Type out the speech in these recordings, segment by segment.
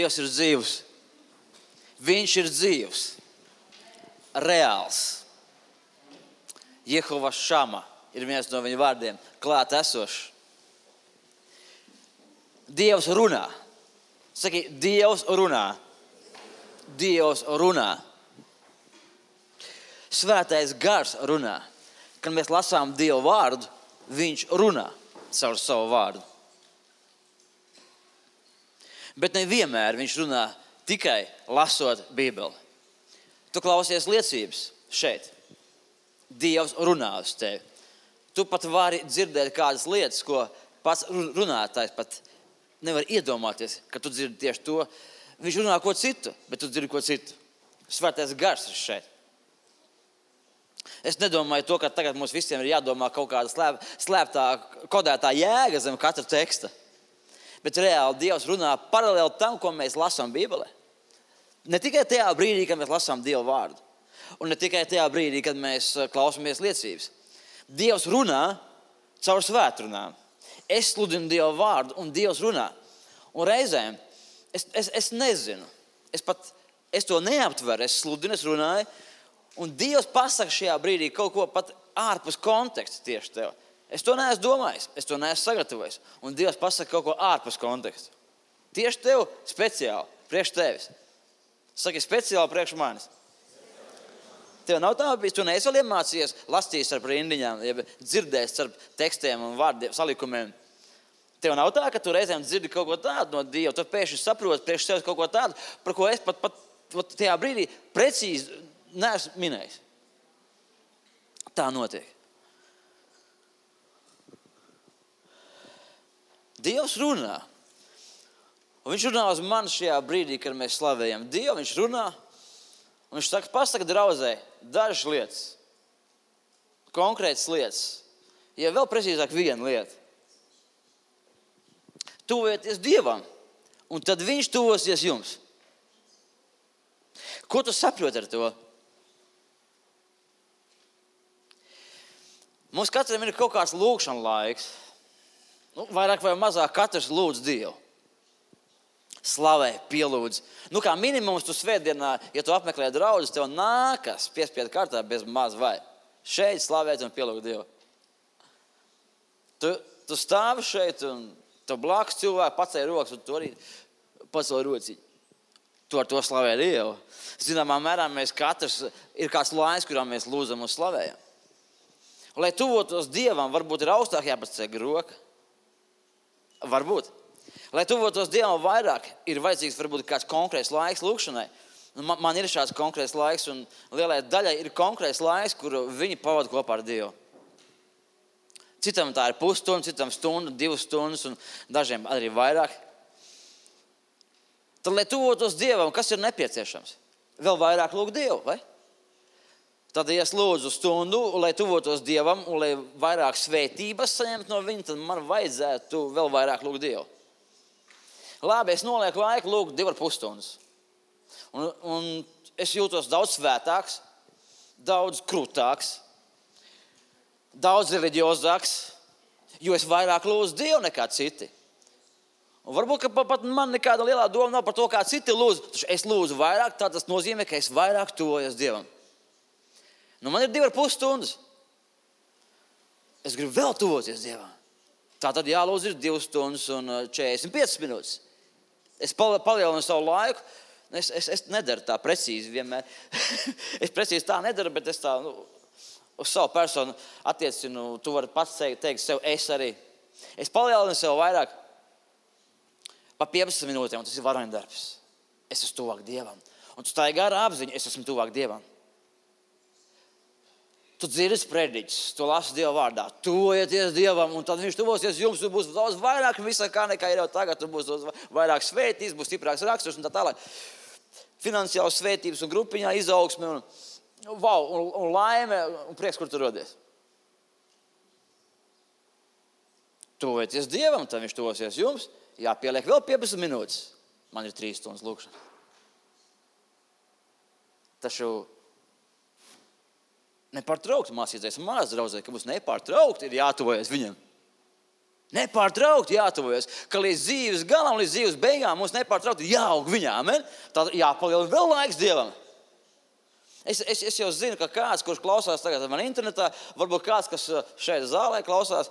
Dievs ir dzīvs. Viņš ir dzīvs. Reāls. Jehova Šama ir viens no viņa vārdiem. Klāt esošs. Dievs runā. Saki, Dievs runā. Dievs runā. Svētais gars runā. Kad mēs lasām Dieva vārdu, viņš runā caur savu vārdu. Bet nevienmēr viņš runā tikai lasot Bībeli. Tu klausies liecības šeit. Dievs runā uz tevi. Tu pat vari dzirdēt kādas lietas, ko pats runātājs pat nevar iedomāties, ka tu dzirdi tieši to. Viņš runā ko citu, bet tu dzirdi ko citu. Svētais gars ir šeit. Es nedomāju to, ka tagad mums visiem ir jādomā kaut kāda slēptā, kodētā jēga zem katra teksta. Bet reāli Dievs runā paralēli tam, ko mēs lasām Bībelē. Ne tikai tajā brīdī, kad mēs lasām Dieva vārdu. Un ne tikai tajā brīdī, kad mēs klausamies liecības. Dievs runā caur svētrunām. Es sludinu Dieva vārdu un Dievs runā. Un reizēm es nezinu. Es to neaptveru. Es sludinu, es runāju. Un Dievs pasaka šajā brīdī kaut ko pat ārpus konteksta tieši tev. Es to neesmu domājis. Es to neesmu sagatavojis. Un Dievs pasaka kaut ko ārpus konteksta. Tieši tev speciāli, priekš tevis. Saki, speciāli priekš manis. Tev nav tā bijis, tu neesi vēl iemācījies lastījis ar rindiņām, ja dzirdējis ar tekstiem un vārdiem, salikumiem. Tev nav tā, ka tu reizēm dzirdi kaut ko tādu no Dieva, tu pēkšņi saproti priekš sevis kaut ko tādu, par ko es pat tajā brīdī precīzi neesmu minējis. Tā notiek. Dievs runā. Un viņš runā uz mani šajā brīdī, kad mēs slavējam Dievu, viņš runā. Un viņš saka, pasaka draudzē dažas lietas, konkrētas lietas, ja vēl precīzāk viena lieta. Tuvojieties Dievam, un tad viņš tuvosies jums. Ko tu saproti ar to? Mums katram ir kaut kāds lūgšana laiks. Vairāk vai mazāk katrs lūdz Dievu. Slavē, pielūdz. Kā minimums tu svētdienā, ja tu apmeklē draudzes, tev nākas piespiedu kārtā bez maz vai. Šeit slavēt un pielūgt Dievu. Tu stāvi šeit un tu blakus cilvēku pacēli rokas un tu arī pacēli rociņu. Tu ar to slavē Dievu. Zināmā mērā mēs katrs ir kāds laiks, kurā mēs lūdzam un slavējam. Lai tuvotos Dievam, varbūt ir augstāk jāpaceļ roka. Varbūt. Lai tuvotos Dievam vairāk, ir vajadzīgs varbūt kāds konkrēts laiks lūkšanai. Man ir šāds konkrēts laiks, un lielai daļai ir konkrēts laiks, kuru viņi pavada kopā ar Dievu. Citam tā ir pusstunda, citam stunda, 2 stundas, un dažiem arī vairāk. Tad, lai tuvotos Dievam, kas ir nepieciešams? Vēl vairāk lūgt Dievu, vai? Tad, ja es lūdzu stundu, lai tuvotos Dievam, un lai vairāk svētības saņemtu no viņa, tad man vajadzētu vēl vairāk lūgt Dievu. Labi, es nolieku laiku lūgt 2,5 stundas. Un es jūtos daudz svētāks, daudz krūtāks, daudz reliģiozāks, jo es vairāk lūdzu Dievu nekā citi. Un varbūt, ka pat man nekāda lielā doma nav par to, kā citi lūdzu. Taču es lūdzu vairāk, tā tas nozīmē, ka es vairāk tuvojos Dievam. Man ir 2,5 stundas. Es gribu vēl tuvoties Dievam. Tā tad jālūdz ir 2 stundas un 45 minūtes. Es palielinu savu laiku. Es nedaru tā precīzi vienmēr. Es precīzi tā nedaru, bet es tā uz savu personu attiecinu. Tu vari pats teikt sev, es arī. Es palielinu sev vairāk pa 15 minūtēm, un tas ir varoņdarbs. Es esmu tuvāk Dievam. Un tu stāji garā apziņa, es esmu tuvāk Dievam. Tu dzirdi prediķus, tu lasi Dieva vārdā, tuvojieties Dievam, un tad viņš tuvosies jums, tu būs daudz vairāk visā kā nekā ir jau tagad, tu būs vairāk svētības, būs stiprāks raksturs un tā tālāk. Finansiāls svētības un grupiņā izaugsme un laime un prieks, kur tu rodies. Tuvojieties Dievam, tad viņš tuvosies jums, jāpieliek vēl 15 minūtes. Man ir 3 stundas lūkšana. Taču nepārtraukti mācīties mās draudzē, ka mums nepārtraukti ir jātuvojas viņam. Nepārtraukti jātuvojas, ka līdz dzīves galam, līdz dzīves beigām mums nepārtraukti jāaug viņā. Amen? Tad jāpalielina vēl laiks Dievam. Es jau zinu, ka kāds, kurš klausās tagad man internetā, varbūt kāds, kas šeit zālē klausās,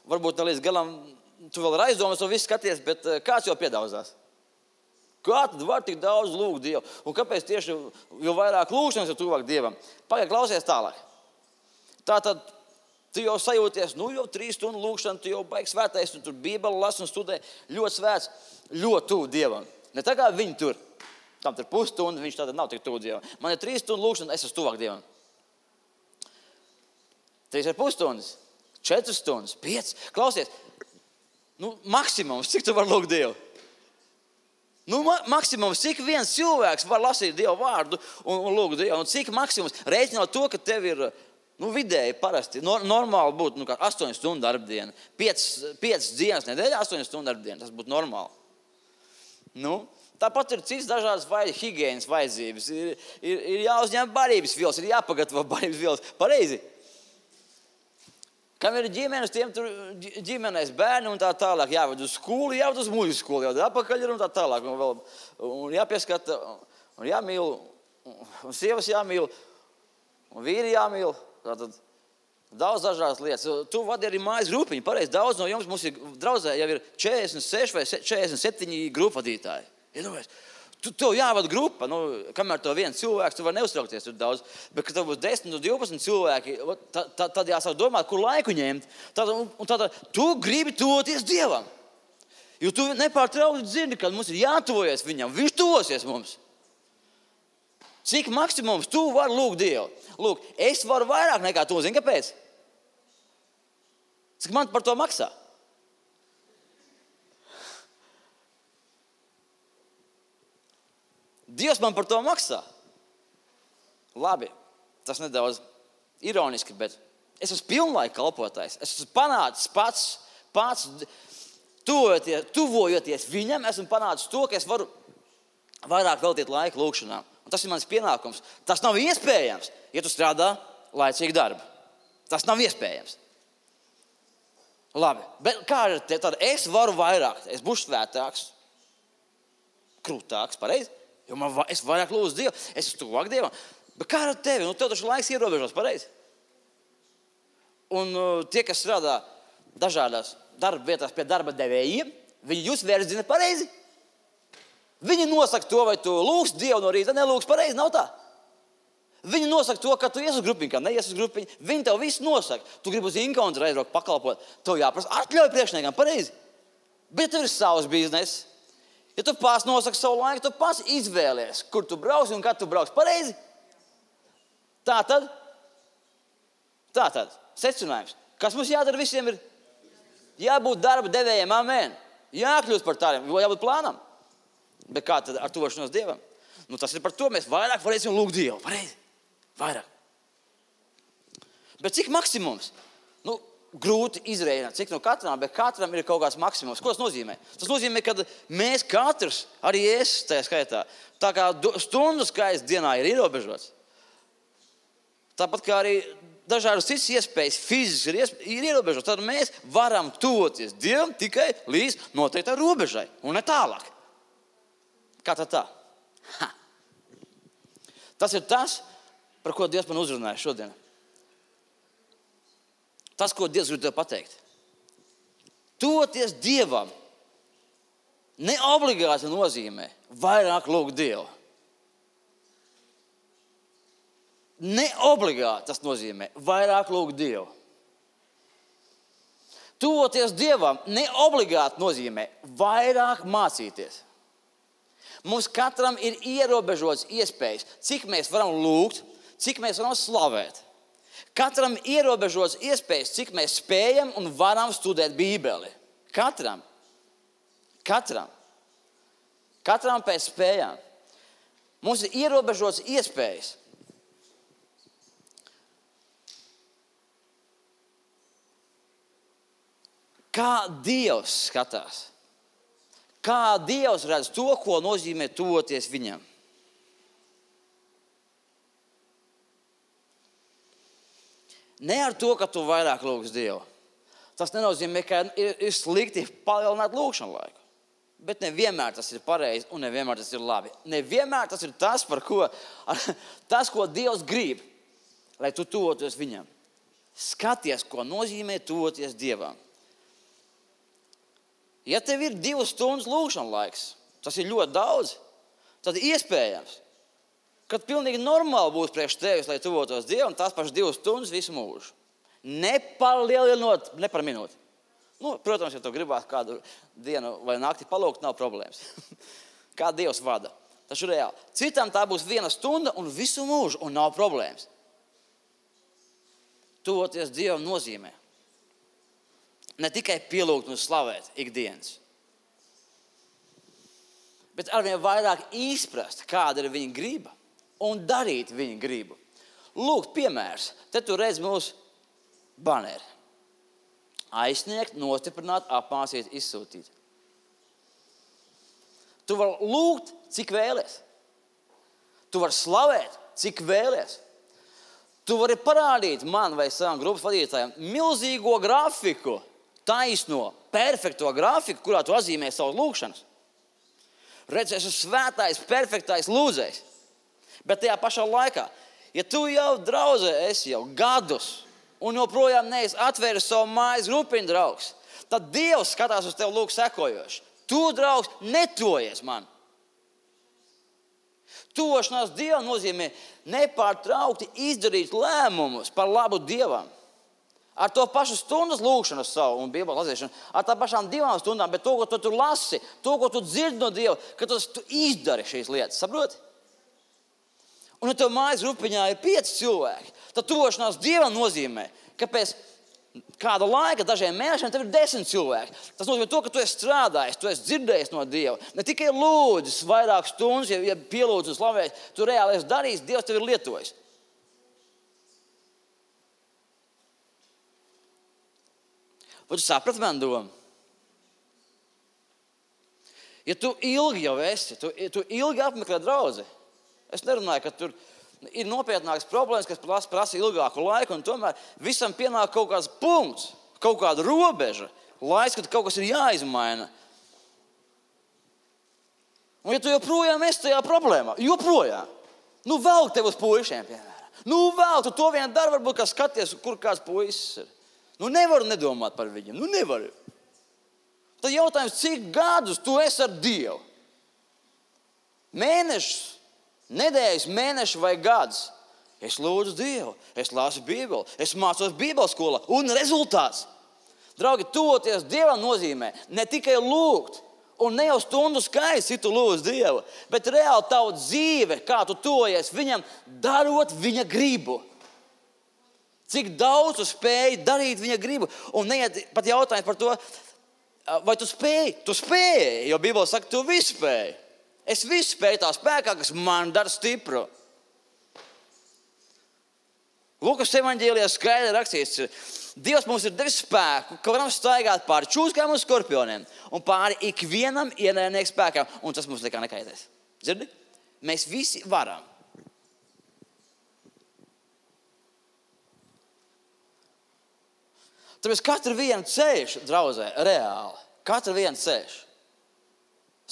varbūt ne līdz galam, tu vēl ir aizdomas, to visu skaties, bet kāds jau piedaudzās. Kā tad var tik daudz lūgt Dievu? Un kāpēc tieši, jo vairāk lūgšanas, jo tuvāk Dievam? Pagaid, klausies tālāk. Tātad, tu jau sajūties, jau 3 stundu lūgšana, tu jau baigi svētais, tu tur Bībeli lasi un studē, ļoti svēts, ļoti tuvu Dievam. Ne tā kā viņi tur, tam tur pusstunda, viņš tātad nav tik tuvu Dievam. Man ir 3 stundu lūgšana, es esmu tuvāk Dievam. 3,5 stundas, 4 stundas, 5. Klausies, maksimums, cik tu var lūgt Dievu? Maksimums, cik viens cilvēks var lasīt Dievu vārdu un lūgt Dievu. Un cik maksimums, reiķinot to, ka tev ir vidēji parasti, normāli būtu 8 stundu darbdiena. 5 dienas nedēļā 8 stundu darbdiena, tas būtu normāli. Tāpat ir cits dažādas higienas vajadzības. Ir jāuzņem barības vielas, ir jāpagatavo barības vielas. Pareizi. Kam ir ģimenes, tiem tur ģimenēs bērni un tā tālāk. Jāved uz skolu, jāved uz muļu skolu, jāved apakaļ un tā tālāk. Un jāpieskata, un jāmīl, un sievas jāmīl, un vīri jāmīl. Tātad daudz dažādas lietas. Tu vadi arī mājas grupiņu. Pareizi, daudz no jums mums ir draudzē, jau ir 46 vai 47 grupvadītāji. Tev jāvada grupa, kamēr to viens cilvēks, tu vari neuztraukties tur daudz, bet kad tev būs 10 un 12 cilvēki, tad jāsāk domāt, kur laiku ņemt. Tad tu gribi tuvoties Dievam. Jo tu nepārtraukti zini, kad mums ir jātuvojas viņam, viņš tuvosies mums. Cik maksimums tu vari lūgt Dievu? Lūk, es varu vairāk nekā tu, zini, kāpēc? Cik man par to maksā? Dievs man par to maksā. Labi, tas nedaudz ironiski, bet es esmu pilnlaika kalpotājs. Es esmu panācis pats tuvojoties viņam, esmu panācis to, ka es varu vairāk veltīt laiku lūgšanām. Un tas ir mans pienākums. Tas nav iespējams, ja tu strādā laicīgu darbu. Tas nav iespējams. Labi, bet kā ir te? Tad es varu vairāk. Es būšu svētāks, krūtāks, pareizi? Jo es vairāk lūdzu Dievu, es esmu tuvāk Dievam. Bet kā ar tevi? Tev taču laiks ierobežos, pareizi? Un tie, kas strādā dažādās darba vietās pie darba devējiem, viņi jūs verdzina pareizi. Viņi nosaka to, vai tu lūgsi Dievu no rīta, nelūgsi pareizi, nav tā. Viņi nosaka to, ka tu ies uz grupiņu, kā neies uz grupiņu. Viņi tev visu nosaka. Tu gribi uz inkauntu aizbraukt pakalpot. Tev jāprasa atļauj priekšniekam, pareizi. Bet tev ir savs bizness. Ja tu pats nosaki savu laiku, tu pats izvēlies, kur tu brauksi un kad tu brauksi. Pareizi? Tātad, secinājums. Kas mums jādara visiem ir? Jābūt darba devējiem, amen. Jākļūst par tādiem, jābūt plānam. Bet kā tad ar tuvošanos Dievam? Tas ir par to, mēs vairāk varēsim lūgt Dievu. Pareizi? Vairāk. Bet cik maksimums? Grūti izrēķināt, cik no katram, bet katram ir kaut kāds maksimums. Ko tas nozīmē? Tas nozīmē, ka mēs katrs, arī es tajā skaitā, tā kā stundu skaits dienā ir ierobežots. Tāpat kā arī dažādas citas iespējas fiziski ir ierobežotas, tad mēs varam tuvoties Dievam tikai līdz noteiktai robežai un ne tālāk. Kā tad tā? Tas ir tas, par ko Dievs man uzrunāja šodien. Tas, ko Dievs grib tev pateikt. Tuvoties Dievam ne obligāti nozīmē vairāk lūgt Dievu. Ne obligāti tas nozīmē vairāk lūgt Dievu. Tuvoties Dievam ne obligāti nozīmē vairāk mācīties. Mums katram ir ierobežotas iespējas, cik mēs varam lūgt, cik mēs varam slavēt. Katram ierobežotas iespējas, cik mēs spējam un varam studēt Bībeli. Katram. Katram pēc spējām. Mums ir ierobežotas iespējas. Kā Dievs skatās? Kā Dievs redz to, ko nozīmē tuvoties viņam? Ne ar to, ka tu vairāk lūgsi Dievu. Tas nenozīmē, ka ir slikti palielināt lūkšanu laiku. Bet nevienmēr tas ir pareizi un nevienmēr tas ir labi. Nevienmēr tas ir tas, ko Dievs grib, lai tu tuvoties viņam. Skaties, ko nozīmē tuvoties Dievam. Ja tev ir 2 stundas lūkšana laiks, tas ir ļoti daudz, tad iespējams, kad pilnīgi normāli būs priekš tevis, lai tuvotos Dievam, tās pašas 2 stundas visu mūžu. Nepalielinot, ne par minūti. Protams, ja tu gribētu kādu dienu vai nakti palūgt, nav problēmas. Kā Dievs vada. Taču reāli. Citam tā būs 1 stunda un visu mūžu, un nav problēmas. Tuvoties Dievam nozīmē ne tikai pielūgt un slavēt ikdienas, bet arvien vairāk izprast, kāda ir viņa griba un darīt viņa gribu. Lūk, piemērs. Te tu redz mūsu baneri. Aizsniegt, nostiprināt, apmācīt, izsūtīt. Tu vari lūgt, cik vēlies. Tu vari slavēt, cik vēlies. Tu vari parādīt man vai savam grupas vadītājiem milzīgo grafiku, taisno, perfekto grafiku, kurā tu atzīmē savus lūgšanas. Redz, esmu svētais, perfektais lūdzējs. Bet tajā pašā laikā, ja tu jau draudzē esi jau gadus, un joprojām neesi atvēris savu mājas grupiņu draugs, tad Dievs skatās uz tevi lūk sekojoši. Tu, draugs, netuvojies man. Tuvošanās Dievam nozīmē nepārtraukti izdarīt lēmumus par labu Dievam. Ar to pašu stundas lūkšanu savu un Bībeles lasīšanu, ar tā pašām 2 stundām, bet to, ko tu tur lasi, to, ko tu dzirdi no Dieva, ka tu izdari šīs lietas, saproti? Un ja tev mājas grupiņā ir 5 cilvēki, tad tuvošanās Dievam nozīmē, ka pēc kāda laika, dažiem mēnešiem, tev ir 10 cilvēki. Tas nozīmē to, ka tu esi strādājis, tu esi dzirdējis no Dieva. Ne tikai lūdzis vairāk stundas, ja pielūdz un slavējis, tu reāli esi darījis, Dievs tev ir lietojis. Vai tu saprati man domu? Ja tu ilgi jau esi, tu ilgi apmeklē draudzi, es nerunāju, ka tur ir nopietnākas problēmas, kas prasa ilgāku laiku, un tomēr visam pienāk kaut kāds punkts, kaut kāda robeža, laiks, kad kaut kas ir jāizmaina. Un ja tu joprojām esi tajā problēmā, velk tev uz puišiem, piemēram. Velk, tu to vien dari, varbūt kā skaties, kur kāds puisis ir. Nevaru nedomāt par viņiem, nevaru. Tad jautājums, cik gadus tu esi ar Dievu? Mēnešus? Nedēļas, mēneši vai gads. Es lūdzu Dievu, es lasu Bībeli, es mācos Bībeles skolā. Un rezultāts. Draugi, tuvoties Dievam nozīmē ne tikai lūgt, un ne jau stundu skaits, ja tu lūdz Dievu, bet reāli tavu dzīve, kā tu tuvojies viņam, darot viņa gribu. Cik daudz tu spēji darīt viņa gribu. Un neiet pat jautājums par to, vai tu spēji? Tu spēji, jo Bībele saka, tu visu spēji. Es visu spēju tā spēkā, kas man dara stipru. Lukas evaņģēlijā skaidri rakstīts, Dievs mums ir devis spēku, ka varam staigāt pāri čūskām un skorpioniem un pāri ikvienam ienaidnieku spēkam, un tas mums nekā nekaitēs. Dzirdi? Mēs visi varam. Tāpēc katru vienu ceļš, draudzē, reāli, katru vienu ceļš.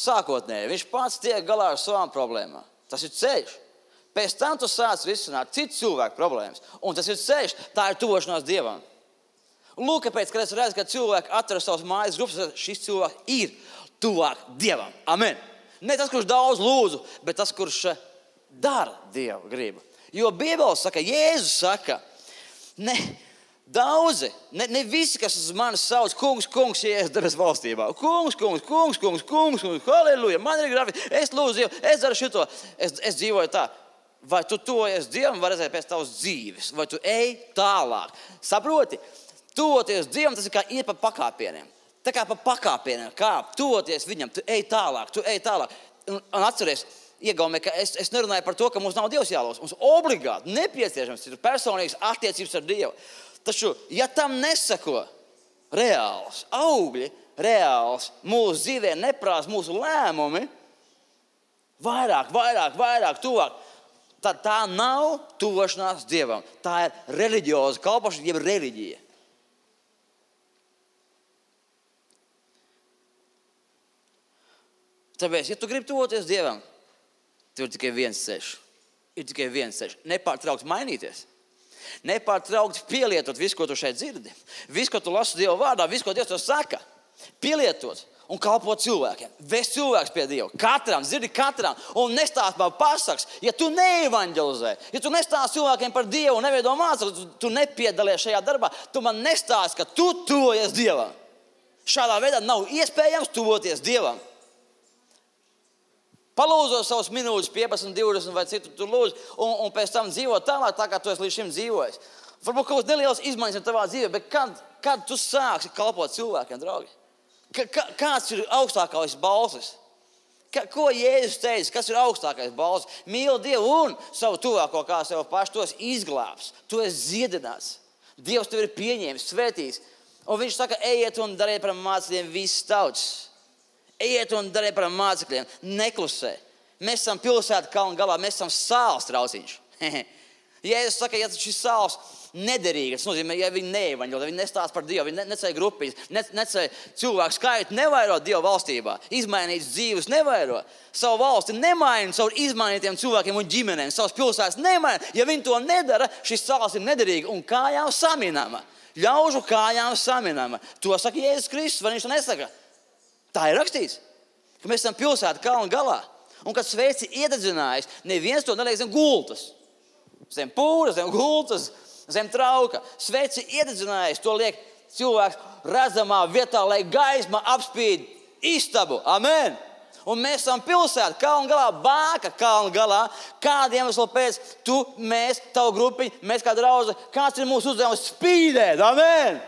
Sākotnēji, viņš pats tiek galā ar savām problēmām. Tas ir ceļš. Pēc tam tu sāc risināt citu cilvēku problēmas. Un tas ir ceļš, tā ir tuvošanās Dievam. Lūk, kāpēc, kad es redzu, ka cilvēki atver savas mājas grupas, šis cilvēks ir tuvāk Dievam. Amen. Ne tas, kurš daudz lūdzu, bet tas, kurš dara Dieva gribu. Jo Bībele saka, Jēzus saka, daudzi, ne visi, kas uz mani sauc, kungs, Jēzus debes valstībā. Kungs, halleluja, man ir grafika, es lūdzu Dievu, es daru šito, es dzīvoju tā. Vai tu tuvojies Dievam, var redzēt pēc tavas dzīves, vai tu ej tālāk. Saproti, tuvoties Dievam, tas ir kā iet pa pakāpieniem. Tā kā pa pakāpieniem, kā tuvoties viņam, tu ej tālāk. Un atceries, iegaumē, ka es nerunāju par to, ka mums nav Dievs jālūdz. Mums obligāti nepieciešams ir personīgas attiecības ar Dievu. Taču, ja tam nesako reāls augļi, reāls mūsu dzīvē neprās mūsu lēmumi, vairāk, tuvāk, tad tā nav tuvošanās Dievam. Tā ir reliģioza kalpošana, jeb reliģija. Tāpēc, ja tu gribi tuvoties Dievam, tev ir tikai viens ceļš. Ir tikai viens ceļš. Nepārtraukt mainīties. Nepārtraukt pielietot visu, ko tu šeit dzirdi. Visu, ko tu lasi Dieva vārdā, visu, ko Dievs tev saka. Pielietot un kalpot cilvēkiem. Vest cilvēks pie Dieva. Katram, dzirdi katram. Un nestāst man pasaks, ja tu neevanģelizē, ja tu nestāst cilvēkiem par Dievu un neveido mācekļus, tu nepiedalies šajā darbā, tu man nestāst, ka tu tuvojies Dievam. Šādā veidā nav iespējams tuvoties Dievam. Palūdzo savus minūtes, 15, 20 vai citu tu lūdzu, un pēc tam dzīvo tālāk, tā kā tu esi līdz šim dzīvojis. Varbūt kaut kāds neliels izmaiņas ir tavā dzīvē, bet kad tu sāksi kalpot cilvēkiem, draugi? Kāds ir augstākais balsis? Ko Jēzus teica, kas ir augstākais balsis? Mīli Dievu un savu tuvāko kā sev pašu, tu esi izglābs, tu esi dziedināts. Dievs tev ir pieņēmis, svētīs. Un viņš saka, ejiet un dariet par mācekļiem visas tautas. Ejiet un dariet par mācekļiem, neklusē. Mēs esam pilsēta kalna galā, mēs esam sāls trauciņš. Jēzus saka, ja šis sāls nederīgi, tas nozīmē, ja viņi neevaņģelizē, viņi nestāsta par Dievu, viņi necēja grupiņas, necēja cilvēku skaitu, nevairo Dieva valstībā, izmainītas dzīves nevairo. Savu valsti nemaina caur izmainītiem cilvēkiem un ģimenēm, savas pilsētas nemaina. Ja viņi to nedara, šis sāls ir nederīgi un kājām saminama. Ļaužu kājām saminama. To saka Jēzus Kristus, vai viņš to nesaka? Tā ir rakstīts, ka mēs esam pilsēta kalna galā. Un kad sveici iededzinājis, neviens to neliek zem gultas. Zem pūras, zem gultas, zem trauka. Sveici iededzinājis, to liek cilvēks redzamā vietā, lai gaisma apspīd istabu. Amen! Un mēs esam pilsēta kalna galā, bāka kalna galā. Kādiem iemeslu pēc mēs, tavu grupiņu, mēs kā draudze, kāds ir mūsu uzdevums? Spīdēt. Amen!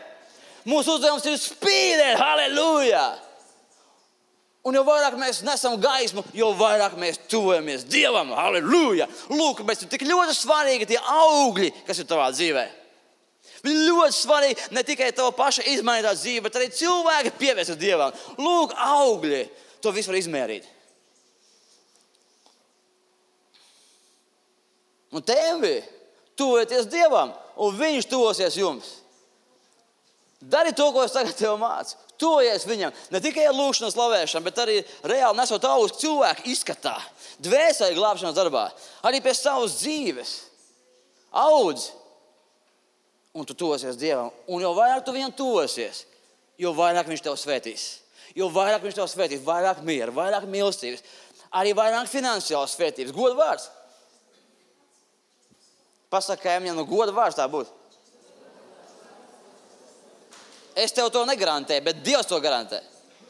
Mūsu uzdevums ir spīdēt. Halleluja! Un jo vairāk mēs nesam gaismu, jo vairāk mēs tuvojamies Dievam. Halleluja! Lūk, bet ir tik ļoti svarīgi tie augļi, kas ir tavā dzīvē. Viņi ļoti svarīgi ne tikai tava paša izmainītā dzīve, bet arī cilvēki pievērsas Dievam. Lūk, augļi. To visu var izmērīt. Un tevi tuvojieties Dievam, un viņš tuvosies jums. Dari to, ko es tagad tev mācu. Tuvojies viņam. Ne tikai ar lūkšanu un slavēšanu, bet arī reāli nesot augstu cilvēku izskatā. Dvēseli glābšanas darbā. Arī pie savas dzīves. Audz. Un tu tuvosies Dievam. Un jo vairāk tu viņam tuvosies, jo vairāk viņš tev svētīs. Jo vairāk viņš tev svētīs, vairāk miera, vairāk mīlestības, arī vairāk finansiālas svētības. Goda vārds. Pasaka, ja no goda vārds tā būtu. Es tev to negarantēju, bet Dievs to garantē.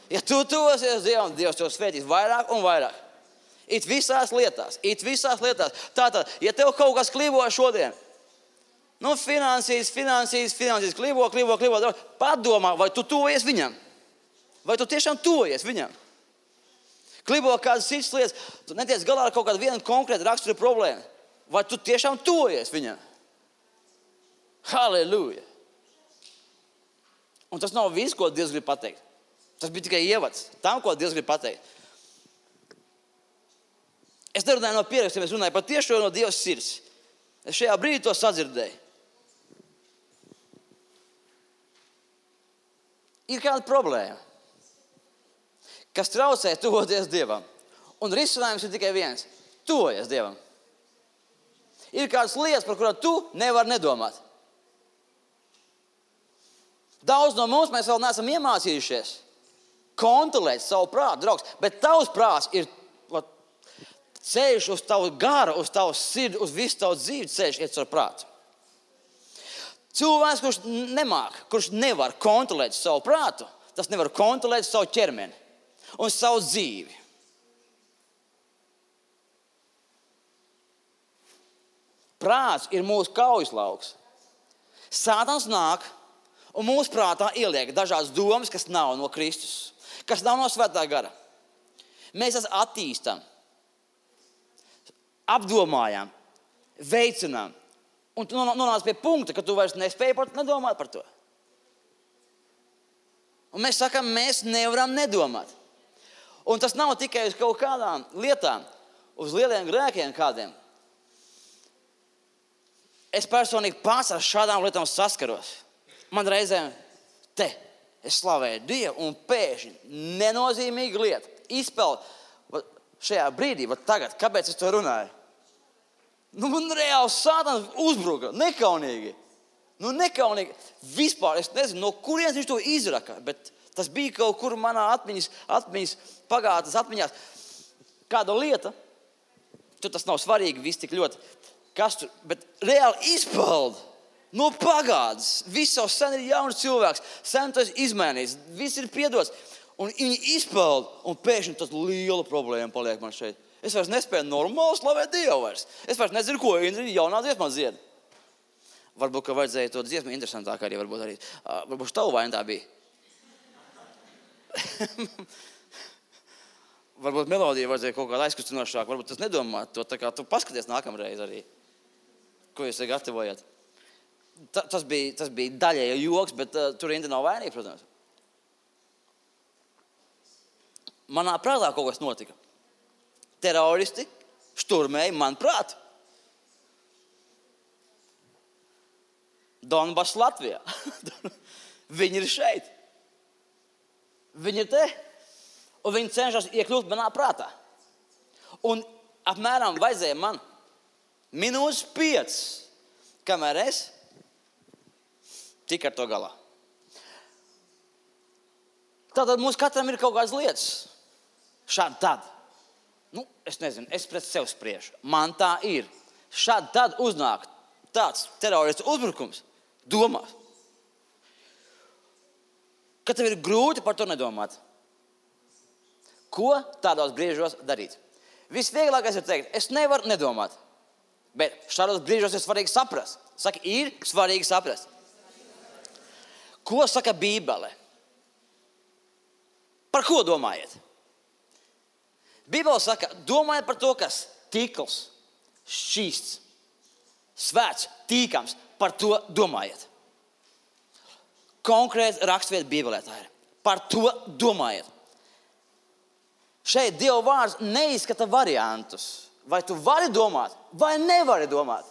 Ja tu tuvosies Dievam, Dievs tev svētīs vairāk un vairāk. It visās lietās. Tātad, ja tev kaut kas klibo šodien, finansīs, klibo, padomā, vai tu tuvojies viņam. Vai tu tiešām tuvojies viņam? Klibo kādas citas lietas, tu netiec galā ar kaut kādu vienu konkrētu raksturu problēmu. Vai tu tiešām tuvojies viņam? Halleluja! Un tas nav viss, ko Dievs grib pateikt. Tas bija tikai ievads tam, ko Dievs grib pateikt. Es nerunāju no pierakstiem, es runāju par tiešo no Dieva sirds. Es šajā brīdī to sadzirdēju. Ir kāda problēma, kas traucē tuvoties Dievam. Un risinājums ir tikai viens. Tuvojies Dievam. Ir kādas lietas, par kurām tu nevari nedomāt. Daudz no mums mēs vēl neesam iemācījušies kontrolēt savu prātu, draugs. Bet tavs prāts ir ceļš uz tavu garu, uz tavu sirdi, uz visu tavu dzīvi ceļš iet caur prātu. Cilvēks, kurš nemāk, kurš nevar kontrolēt savu prātu, tas nevar kontrolēt savu ķermeni un savu dzīvi. Prāts ir mūsu kaujaslauks. Sātans nāk un mūsu prātā ieliek dažādas domas, kas nav no Kristus, kas nav no Svētā gara. Mēs tās attīstam, apdomājam, veicinām. Un tu nonāc pie punkta, ka tu vairs nespēji pat nedomāt par to. Un mēs sakām, mēs nevaram nedomāt. Un tas nav tikai uz kaut kādām lietām, uz lieliem grēkiem kādiem. Es personīgi pats ar šādām lietām saskaros. Man reizēm es slavēju Dievu un pēkšņi nenozīmīga lieta izpeld šajā brīdī, bet tagad, kāpēc es to runāju? Man reāli Sātans uzbruka, nekaunīgi. Nekaunīgi. Vispār, es nezinu, no kurienes viņš to izraka, bet tas bija kaut kur manā atmiņas pagātnes atmiņās. Kāda lieta, tur tas nav svarīgi, viss tik ļoti, kas tur, bet reāli izpalda no pagātnes. Viss jau sen ir jauns cilvēks, sen tas izmainījis, viss ir piedots. Un viņi izpalda, un pēkšņi tas liela problēma paliek man šeit. Es vairs nespēju normāli slavēt Dievu vairs. Es vairs nezinu, ko jaunā dziesmā dzied. Varbūt, ka vajadzēja to dziesmu interesantāk arī, varbūt tavu vaina tā bija. Varbūt melodija vajadzēja kaut kādā aizkustinošāk, varbūt tas nedomāt to, tā kā tu paskaties nākamreiz arī, ko jūs gatavojat. Tas bija daļēji joks, bet tur Inda nav vainīga, protams. Manā prātā kaut kas notika. Teroristi šturmēja man prātu. Donbass Latvijā. Viņi ir šeit. Viņi ir te. Un viņi cenšas iekļūt manā prātā. Un apmēram vajadzēja man minūtes 5, kamēr es tik ar to galā. Tātad mums katram ir kaut kādas lietas. Šādi tad. Es nezinu, es pret sevi spriežu. Man tā ir. Šādi tad uznāk tāds teroristu uzbrukums. Domās. Ka tev ir grūti par to nedomāt. Ko tādos brīžos darīt? Visvieglākais ir teikt, es nevaru nedomāt. Bet šādos brīžos ir svarīgi saprast. Saka, ir svarīgi saprast. Ko saka Bībele? Par ko domājiet? Bībele saka, domājiet par to, kas tīkls, šķīsts, svēts, tīkams. Par to domājiet. Konkrēts rakstvieta Bībelē tā ir. Par to domājiet. Šeit Dieva vārds neizskata variantus. Vai tu vari domāt, vai nevari domāt?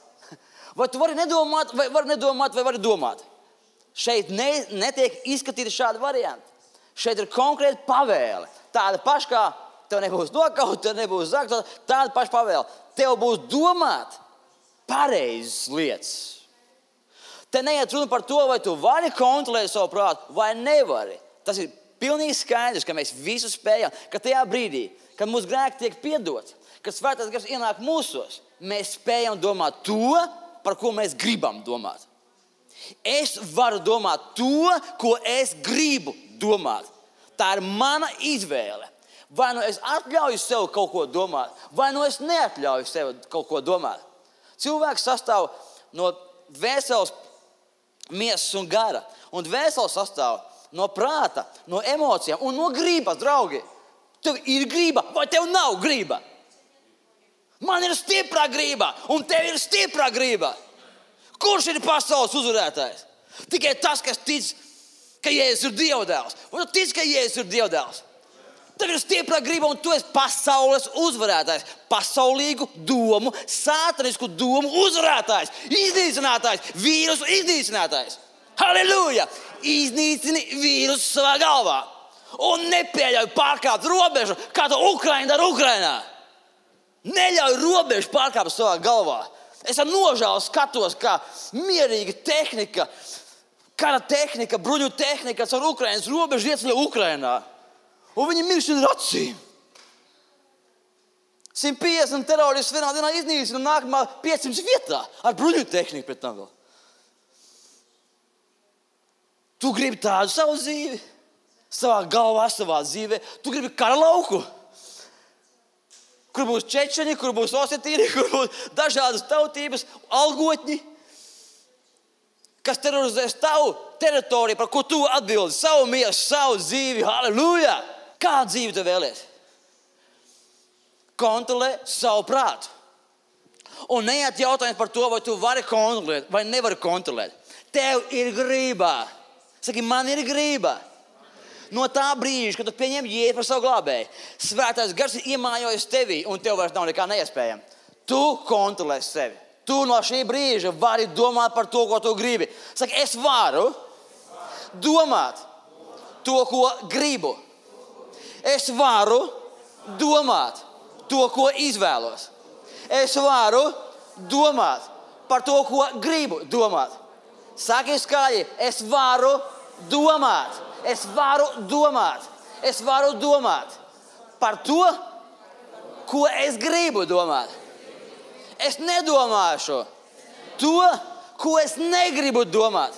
Vai tu vari nedomāt, vai vari nedomāt, vai vari domāt? Šeit netiek izskatīti šādi varianti. Šeit ir konkrēta pavēle. Tāda paša, kā tev nebūs nokaut, tev nebūs zakt, tāda paša pavēle. Tev būs domāt pareizas lietas. Te neiet runa par to, vai tu vari kontrolēt savu prātu, vai nevari. Tas ir pilnīgi skaidrs, ka mēs visu spējam, ka tajā brīdī, kad mūsu grēki tiek piedoti, kad svētais gars ienāk mūsos, mēs spējam domāt to, par ko mēs gribam domāt. Es varu domāt to, ko es gribu domāt. Tā ir mana izvēle. Vai nu es atļauju sev kaut ko domāt, vai nu es neatļauju sev kaut ko domāt. Cilvēks sastāv no dvēseles, miesas un gara. Un dvēseles sastāv no prāta, no emocijām un no gribas, draugi. Tev ir griba vai tev nav griba? Man ir stipra griba un tev ir stipra griba. Kurš ir pasaules uzvarētājs? Tikai tas, kas tic, ka Jēzus ir Dieva dēls. Vai tu tici, ka Jēzus ir Dieva dēls? Tev ir stipra griba un tu esi pasaules uzvarētājs. Pasaulīgu domu, sātanisku domu uzvarētājs. Iznīcinātājs, vīrusu iznīcinātājs. Halleluja! Iznīcini vīrusu savā galvā. Un nepieļauj pārkāpt robežu, kā to Ukraina dara Ukrainā. Neļauj robežu pārkāpt savā galvā. Es ar nožēlu skatos, kā mierīga tehnika, kara tehnika, bruņu tehnika ar Ukrainas robežu ieceļo Ukrainā. Un viņi mirst ar acīm. 150 teroristi vienā dienā iznīcina un nākamā 500 vietā ar bruņu tehniku pret tam vēl. Tu gribi tādu savu dzīvi, savā galvā, savā dzīvē. Tu gribi kara lauku, kur būs čečeni, kur būs osetīri, kur būs dažādas tautības, algotņi, kas terorizēs tavu teritoriju, par ko tu atbildi, savu miesu, savu dzīvi. Halleluja! Kādu dzīvi tu vēlies? Kontrolē savu prātu. Un neiet jautājums par to, vai tu vari kontrolēt, vai nevari kontrolēt. Tev ir grība. Saki, man ir grība. No tā brīža, kad tu pieņem Jēzu par savu glābēju, svētais gars ir iemājojis tevī, un tev vairs nav nekā neiespējama. Tu kontrolē sevi. Tu no šī brīža vari domāt par to, ko tu gribi. Saki, es varu domāt to, ko gribu. Es varu domāt to, ko izvēlos. Es varu domāt par to, ko gribu domāt. Saki skaļi, es varu domāt. Es varu domāt. Es varu domāt par to, ko es gribu domāt. Es nedomāšu to, ko es negribu domāt.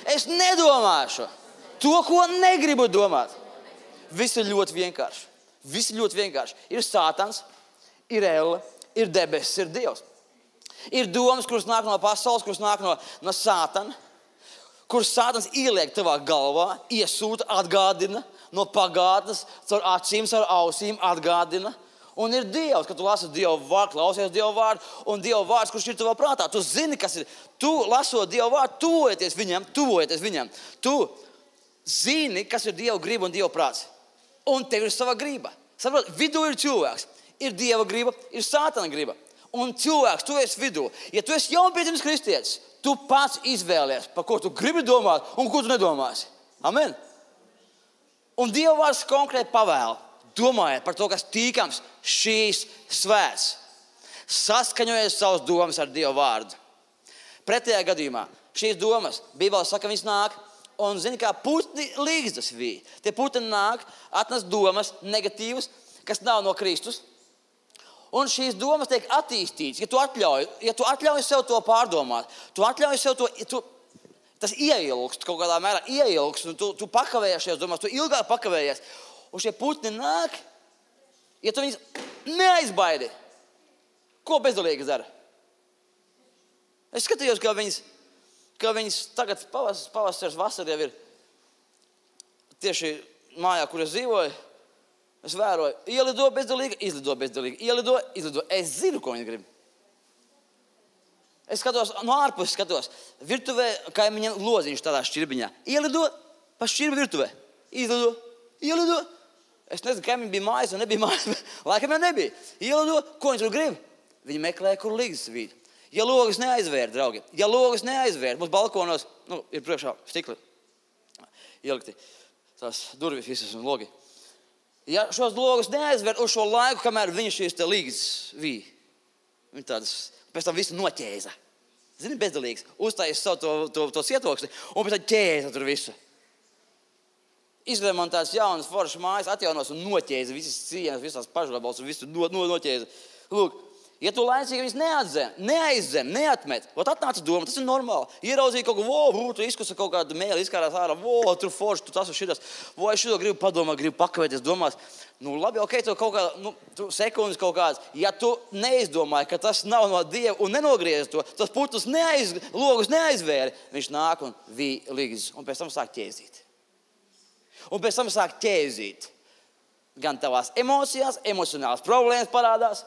Es nedomāšu to, ko negribu domāt. Viss ir ļoti vienkārši. Viss ir ļoti vienkārši. Ir Sātans, ir Elle, ir debesis, ir Dievs. Ir domas, kuras nāk no pasaules, kuras nāk no Sātana, kuras Sātans ieliek tavā galvā, iesūta, atgādina no pagātnes, caur acīm, caur ausīm atgādina. Un ir Dievs, kad tu lasi Dieva vārdu, klausies Dieva vārdu, un Dieva vārds, kurš ir tavā prātā. Tu zini, kas ir. Tu, lasot Dieva vārdu, tuvojoties viņam. Tu zini, kas ir Dieva griba un Dieva prāts. Un tev ir sava griba. Saprot, vidū ir cilvēks. Ir Dieva griba, ir Sātana griba. Un cilvēks, tu esi vidū. Ja tu esi jaunpiedzimis kristietis, tu pats izvēlies, par ko tu gribi domāt un ko tu nedomāsi. Amen. Un Dieva vārds konkrēti pavēl. Domājiet par to, kas tīkams šīs svēts. Saskaņojiet savas domas ar Dieva vārdu. Pretējā gadījumā šīs domas, Bībelē saka, viņas nāk un zini, kā putni līgzdas vīja. Tie putni nāk, atnes domas negatīvas, kas nav no Kristus. Un šīs domas tiek attīstītas, ja tu atļauj sev to pārdomāt, tu atļauj sev to, tas ieilgst, kaut kādā mērā ieilgst, un tu pakavējies šajās domās, tu ilgāk pakavējies. Un šie putni nāk, ja tu viņus neaizbaidi. Ko bezdalīgi dara? Es skatījos, kā viņas tagad pavasaris, vasara jau ir tieši mājā, kur es dzīvoju. Es vēroju, ielido bezdalīgi, izlido bezdalīgi, ielido. Es zinu, ko viņi grib. Es skatos, no ārpuses skatos, virtuvē, kaimiņiem loziņš tādā šķirbiņā. Ielido pa šķirbi virtuvē, izlido, ielido. Es nezinu, kā viņi bija mājas vai nebija mājas. Laikam jau nebija. Ielido, ko viņi tur grib? Viņi meklē, kur līgas vīd. Ja logas neaizvērt, draugi, mums balkonos, ir priekšā stikli ielikti, tās durvis visas un logi. Ja šos logus neaizvērt uz šo laiku, kamēr viņi šīs te līgas vīd, viņi tādas, pēc tam visu noķēza. Zini, bezdalīgs, uztājas savu to cietoksni un pēc tam ķēza tur visu. Izremontēts jaunas foršas mājas, atjaunos un noķēza visas cienas, visās pašgabals un visu noķēza. Lūk, ja tu laicīgi viņus neaizdzen, neatmet, atnāca doma, tas ir normāli. Ieraudzīja kaut ko, tu izkusa kaut kādu mēli, izkārās ārā, tur forši, tu tas un šitas, es šito gribu padomāt, gribu pakavēties domās. Labi, ok, tu kaut kā, sekundes kaut kāds. Ja tu neizdomāji, ka tas nav no Dieva un nenogriezi to, tas putnus logus neaizvēri, viņš nāk un vīja līgzis un pēc tam sāk ķēzīt. Un pēc tam sāk ķēzīt. Gan tavās emocijās, emocionālas problēmas parādās,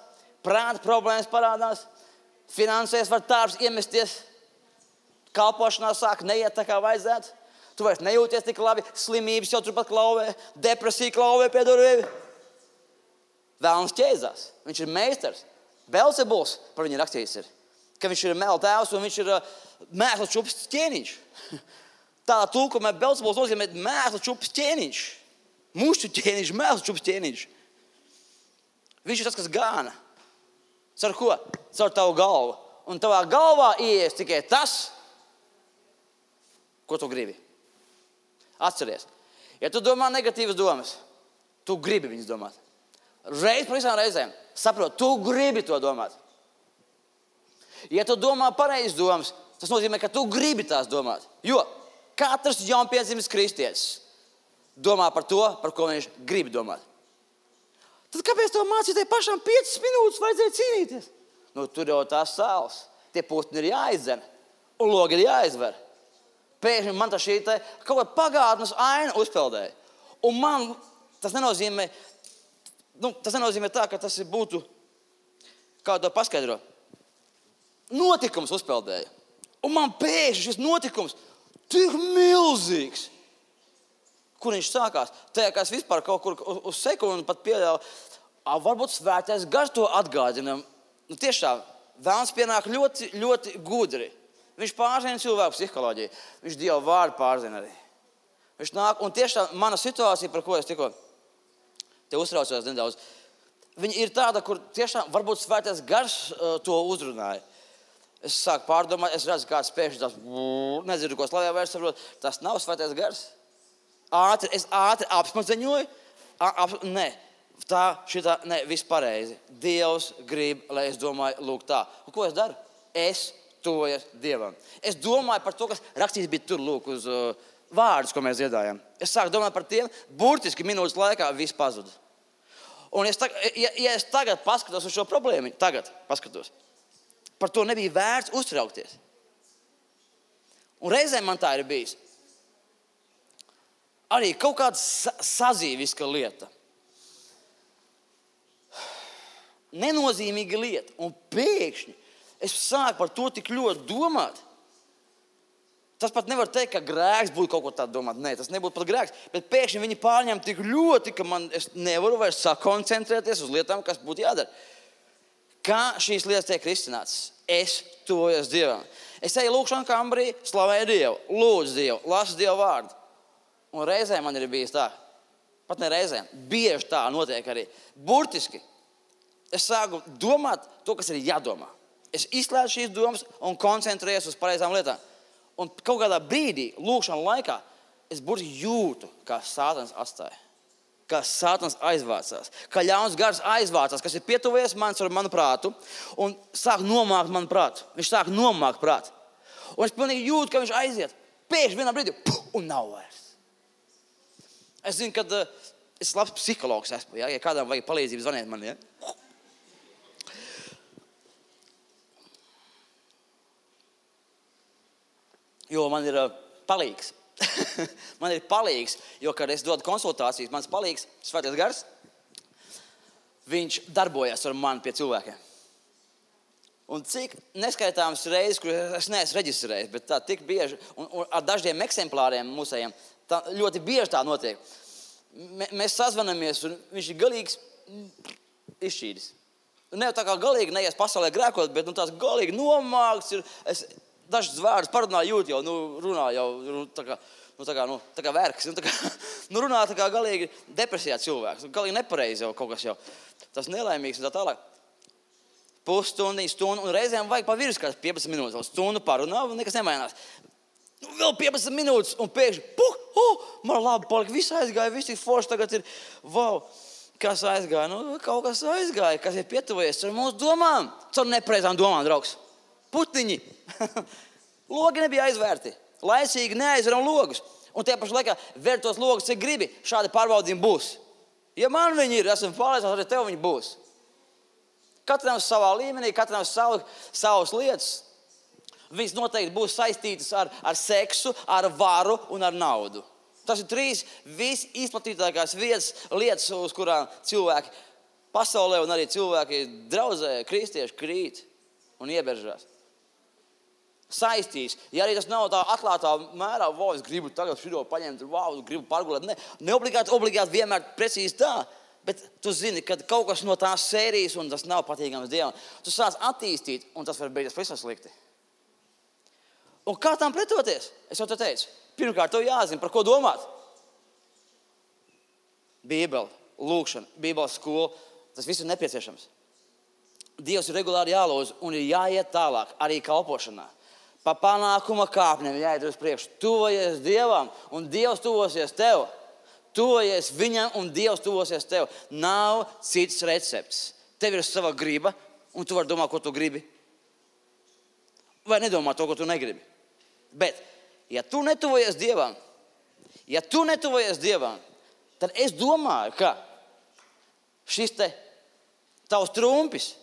prāta problēmas parādās, finansēs var tārs iemesties, kalpošanā sāk neiet tā kā vajadzētu, tu vairs nejūties tik labi, slimības jau turpat klauvē, depresija klauvē pie durvīm. Vēlns ķēzās, viņš ir meistars. Belzebuls par viņu rakstīts ir, ka viņš ir mela tēvs un viņš ir mēslu čups ķēniņš. Tādā tulkumā Belzebuls nozīmē mēslu čups ķēniņš. Mušķu ķēniņš, mēslu čups ķēniņš. Viņš ir tas, kas gāna. Caur ko? Caur tavu galvu. Un tavā galvā ieies tikai tas, ko tu gribi. Atceries. Ja tu domā negatīvas domas, tu gribi viņas domāt. Reiz par visām reizēm. Saprot, tu gribi to domāt. Ja tu domā pareizas domas, tas nozīmē, ka tu gribi tās domāt. Jo katrs jaunpiedzimis kristietis domā par to, par ko viņš grib domāt. Tad kāpēc tev mācītāji pašām 5 minūtes vajadzēja cīnīties? Tur jau tās sāls. Tie putni ir jāizdzen un logi ir jāizver. Pēkšņi man tā šī te kaut kā pagātnes aina uzpeldēja. Un man tas nenozīmē, tā, ka tas būtu, kā to paskaidro, notikums uzpeldēja. Un man pēkšņi šis notikums tik milzīgs. Kur viņš sākās? Tajā, kā es vispār kaut kur uz sekundi pat pieļauju, varbūt svētais gars to atgādina. Tiešām, vēlns pienāk ļoti, ļoti gudri. Viņš pārzina cilvēku psiholoģiju. Viņš Dieva vārdu pārzina arī. Viņš nāk, un tiešām mana situācija, par ko es tikko te uztraucos nedaudz, Viņa ir tāda, kur tiešām varbūt svētais gars to uzrunāja. Es sāku pārdomāt, es redzu, kāds pēkšņi tas, nezinu, ko slavē vairs saprot. Tas nav svētais gars. Es ātri apsmadzeņoju. Viss pareizi. Dievs grib, lai es domāju, lūk tā. Un ko es daru? Es tuvojos Dievam. Es domāju par to, kas rakstīts bija tur, lūk, uz vārdus, ko mēs dziedājām. Es sāku domāt par tiem, burtiski minūtes laikā viss pazuda. Un es tagad paskatos uz šo problēmu, par to nebija vērts uztraukties. Un reizēm man tā ir bijis. Arī kaut kāda sazīviska lieta. Nenozīmīga lieta. Un pēkšņi es sāku par to tik ļoti domāt. Tas pat nevar teikt, ka grēks būtu kaut ko tādu domāt. Nē, tas nebūtu pat grēks. Bet pēkšņi viņi pārņem tik ļoti, ka es nevaru vairs sakoncentrēties uz lietām, kas būtu jādara. Kā šīs lietas tiek risinātas? Es tuvojos Dievam. Es eju lūkšanu kambarī, slavēju Dievu, lūdzu Dievu, lasu Dievu vārdu. Un reizēm man ir bijis tā. Pat ne reizēm. Bieži tā notiek arī. Burtiski. Es sāku domāt to, kas ir jādomā. Es izslēdzu šīs domas un koncentrējos uz pareizām lietām. Un kaut kādā brīdī, lūkšana laikā, es burtiski jūtu, kā Sātans atstāja. Kā Sātans aizvācās. Kā ļauns gars aizvācās, kas ir pietuvies manu prātu un sāk nomākt manu prātu. Viņš sāk nomākt prātu. Un es pilnīgi jūtu, ka viņš aiziet. Pēkšņi vienā brīdī, un nav vairs. Es zinu, ka es labs psihologs esmu. Ja kādam vajag palīdzību, zvaniet man. Ja? Jo man ir palīgs. Man ir palīgs, jo, kad es dodu konsultācijas, mans palīgs, svētais gars, viņš darbojas ar mani pie cilvēkiem. Un cik neskaitāmas reizes, kur es neesmu reģistrējis, bet tā tik bieži, un ar dažiem eksemplāriem mūsējiem, tā ļoti bieži tā notiek. Mēs sazvanamies, un viņš ir galīgs izšķīdis. Ne tā kā galīgi neies pasaulē grēkot, bet tās galīgi nomākts ir. Dažs vārdus parunāju jūt jau, runā jau tā kā verks. Runā tā kā galīgi depresijā cilvēks. Galīgi nepareizi jau kaut kas jau. Tas nelaimīgs un tā tālāk. Pusstundu, un reizēm vajag pa virs kāds 15 minūtes. Vēl stundu parunā un nekas nemainās. Vēl 15 minūtes un pēkšņi, man labi palika, viss aizgāja, viss ir forši, tagad ir, kas aizgāja? Kaut kas aizgāja, kas ir pietuvojies ar mūsu domām. Caur nepareizām domām, draugs. Putiņi. Logi nebija aizvērti. Laicīgi neaizveram logus. Un tie paši laikā vēr tos logus, cik gribi. Šādi pārbaudījumi būs. Ja man viņi ir, esmu pārliecināts, arī tev viņi būs. Katram savā līmenī, katram savas lietas. Viņas noteikti būs saistītas ar seksu, ar varu un ar naudu. Tas ir 3 visizplatītākās lietas, uz kurām cilvēki pasaulē un arī cilvēki draudzē, kristieši krīt un ieberžās. Saistīs. Ja arī tas nav tā atklātā mērā, es gribu tagad šito paņemt, gribu pārgulēt. Ne obligāti vienmēr precīzi tā, bet tu zini, ka kaut kas no tās sērijas, un tas nav patīkams Dievam, tu sāc attīstīt, un tas var beigties pavisam slikti. Un kā tam pretoties? Es jau te teicu. Pirmkārt, tev jāzina, par ko domāt. Bībele, lūkšana, Bībeles skola, tas viss ir nepieciešams. Dievs ir regulāri jālūdz un ir jāiet tālāk, arī kalpošanā. Pa panākuma kāpnēm jāiet uz priekšu. Tuvojies Dievam un Dievs tuvosies tev. Tuvojies viņam un Dievs tuvosies tev. Nav cits recepts. Tev ir sava griba un tu vari domāt, ko tu gribi. Vai nedomāt to, ko tu negribi. Bet, ja tu netuvojies Dievam, tad es domāju, ka šis te tavs trumpis,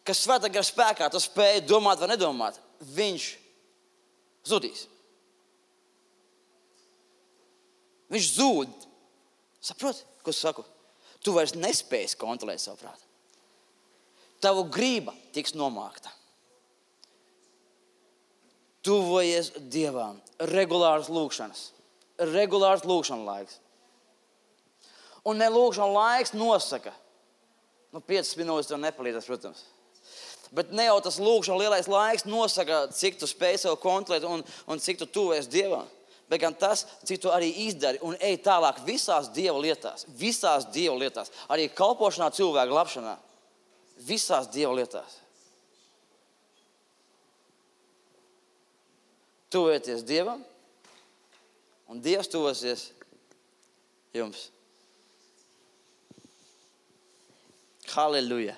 kas svētā gara spēkā, tu spēj domāt vai nedomāt, viņš zudīs. Viņš zūd. Saproti, ko es saku? Tu vairs nespēsi kontrolēt savu prātu. Tavu grība tiks nomākta. Tuvojies Dievam. Regulārs lūkšana laiks. Un ne lūkšana laiks nosaka. 5 minūtes tev nepalīdzēs, protams. Bet ne jau tas lūkšana lielais laiks nosaka, cik tu spēj sev kontrolēt un cik tu tuvojies Dievam. bet gan tas, cik tu arī izdari un ej tālāk visās Dieva lietās. Visās Dieva lietās. Arī kalpošanā cilvēku glābšanā. Visās Dieva lietās. Tuvieties Dievam, un Dievs tuvosies jums. Halleluja!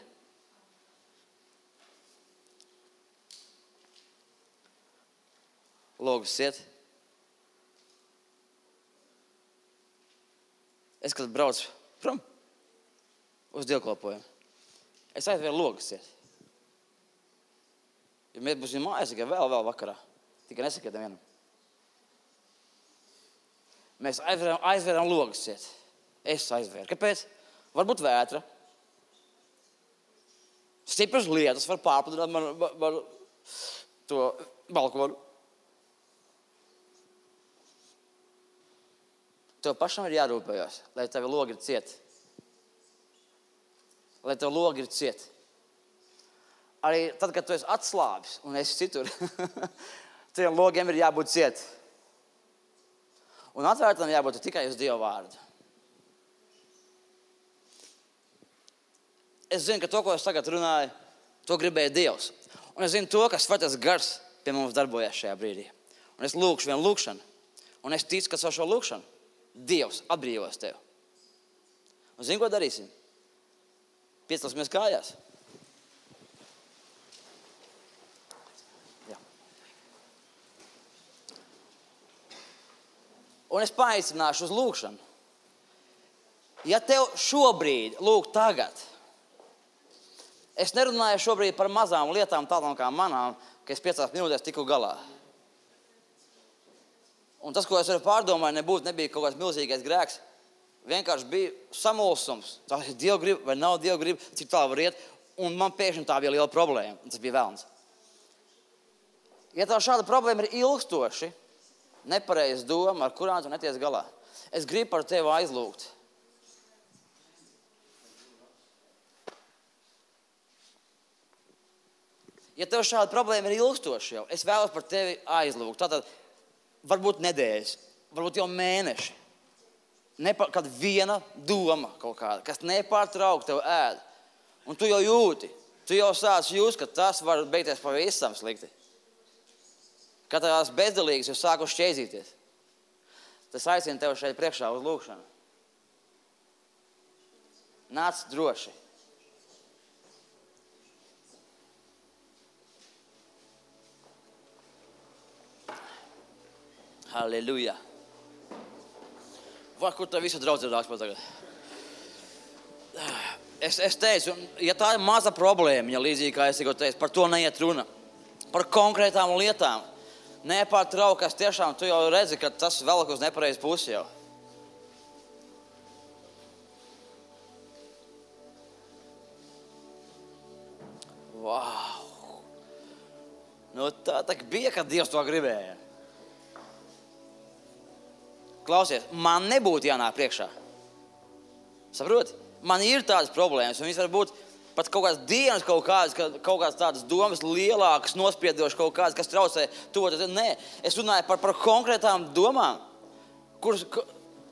Logus iet. Es, kad braucu prom uz dievkalpojumu, es aizvēru logus iet. Ja mēs būsim mājās, tikai vēl vakarā. Tikai nesakiet vienam. Mēs aizvēram logus iet. Es aizvēru. Kāpēc? Varbūt vētra. Stipras lietas var pārpludināt man to balkonu. Tev pašam ir jārūpējās, lai tevi logi ir cieti. Lai tev logi ir cieti. Arī tad, kad tu esi atslābis un esi citur, tiem logiem ir jābūt cieti. Un atvērtam jābūt tikai uz Dieva vārdu. Es zinu, ka to, ko es tagad runāju, to gribēja Dievs. Un es zinu to, ka Svētais Gars pie mums darbojās šajā brīdī. Un es lūkšu vienu lūkšanu. Un es ticu, ka savu šo lūkšanu Dievs atbrīvos tev. Un zini, ko darīsim? Piecelsimies kājās. Jā. Un es paaicināšu uz lūkšanu. Ja tev šobrīd, tagad, es nerunāju šobrīd par mazām lietām, tādām kā manām, ka es 5 minūtēs tiku galā. Un tas, ko es pārdomāju, nebija kaut kāds milzīgais grēks. Vienkārši bija samulsums. Tas ir Dieva griba vai nav Dieva griba, cik tā var iet. Un man pēkšņi tā bija liela problēma. Tas bija velns. Ja tā šāda problēma ir ilgstoši, nepareiz doma, ar kurām tu neties galā, es gribu par tevi aizlūgt. Ja tev šāda problēma ir ilgstoši jau, es vēlos par tevi aizlūgt. Tātad varbūt nedēļas, varbūt jau mēneši. Kad viena doma kaut kāda, kas nepārtraukti tev ēd. Un tu jau jūti, tu jau sāc just, ka tas var beigties pavisam slikti. Kad tās bezdelīgas jau sāku šķēzīties. Tas aicina tev šeit priekšā uz lūkšanu. Nāc droši. Halleluja. Vai, kur tā visa draudzība nāks pat tagad? Es teicu, ja tā ir maza problēma, ja līdzīgi kā es tikko teicu, par to neiet runa. Par konkrētām lietām. Nepārtraukas tiešām, tu jau redzi, ka tas velk uz nepareizu pusi jau. Wow. Nu tā bija, kad Dievs to gribēja. Klausies, man nebūtu jānāk priekšā. Saproti? Man ir tādas problēmas, un viņas var būt pat kaut kādas dienas, kaut kādas tādas domas lielākas, nospiedošas kaut kādas, kas traucē tuvoties. Nē, es runāju par konkrētām domām, kuras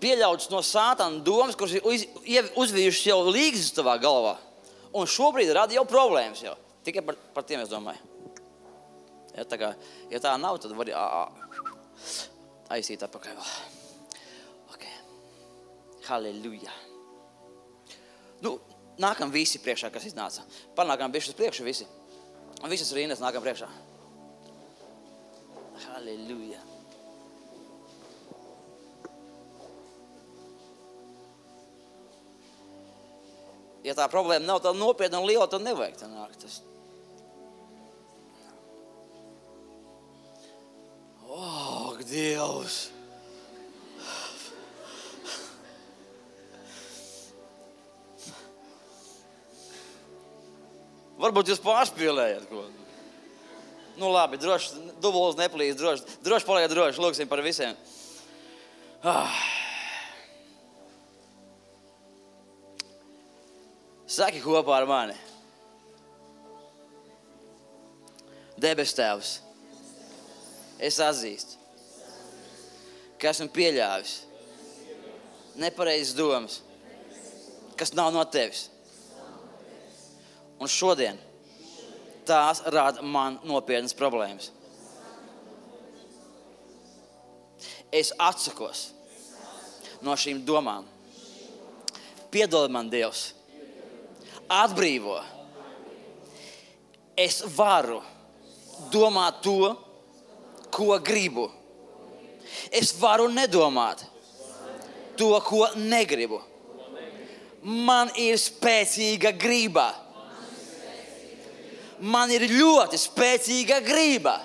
pieļautas no sātana domas, kuras ir uzvījušas jau līgzis tavā galvā. Un šobrīd rada jau problēmas jau. Tikai par tiem es domāju. Ja tā nav, tad var aizīt atpakaļ vēl. Halleluja. Nu, nākam visi priekšā, kas iznāca. Panākam bišķi uz priekšu visi. Un visas rindas nākam priekšā. Halleluja. Ja tā problēma nav tā nopietna un liela, tad nevajag tā nākt. Dievs! Varbūt jūs pārspīlējat ko. Nu labi, droši, dubulis neplīs, droši paliek droši, lūksim par visiem. Saki kopā ar mani. Debes Tēvs, es atzīstu, ka esmu pieļāvis nepareizas domas, kas nav no tevis. Un šodien tās rada man nopietnas problēmas. Es atsakos no šīm domām. Piedod man, Dievs. Atbrīvo. Es varu domāt to, ko gribu. Es varu nedomāt to, ko negribu. Man ir spēcīga griba. Man ir ļoti spēcīga griba.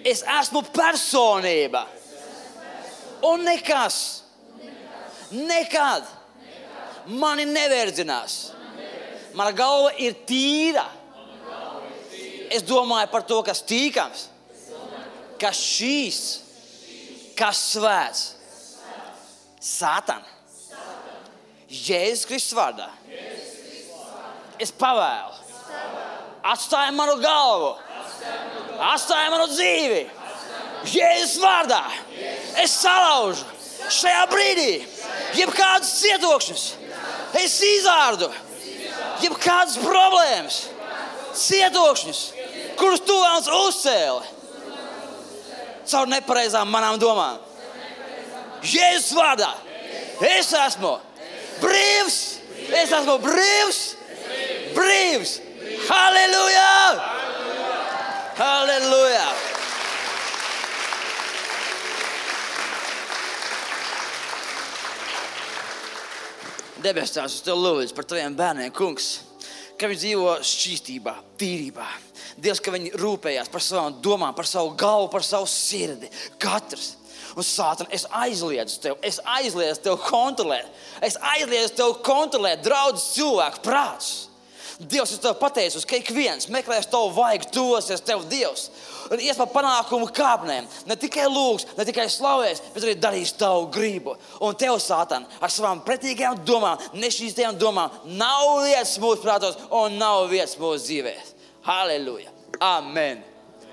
Es esmu personība. Un nekad mani neverdzinās. Mana galva ir tīra. Es domāju par to, kas tīkams, kas šīs, kas svēts. Sātan. Jēzus Kristus vārdā. Es pavēlu. Atstāj manu galvu. Atstāj manu dzīvi. Jēzus vārdā. Es salaužu šajā brīdī jebkādus cietokšņus. Es izārdu jebkādas problēmas, cietokšņus, kurus tu vēlas uzcēli caur nepareizām manām domām. Jēzus vārdā. Es esmu brīvs. Es esmu brīvs. Brīvs. Halleluja! Halleluja! Debes Tēvs, es tev lūdzu par taviem bērniem, kungs, ka viņi dzīvo šķīstībā, tīrībā. Dievs, ka viņi rūpējās par savām domām, par savu galvu, par savu sirdi. Katrs. Un Sātan, es aizliedzu tev kontrolēt. Es aizliedzu tev kontrolēt draudzes cilvēku prātus. Dievs, es tev pateicos, ka ik viens meklēs tavu vaigu, tosies tev, Dievs. Un ies pa panākumu kāpnēm. Ne tikai lūgs, ne tikai slavēs, bet arī darīs tavu gribu. Un tev, Sātan, ar savām pretīgajām domām, nešķīstajām domām, nav vietas mūsu prātos un nav vietas mūsu dzīvēs. Halleluja. Amen.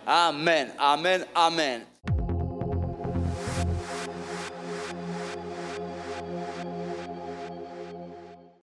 Amen. Amen. Amen.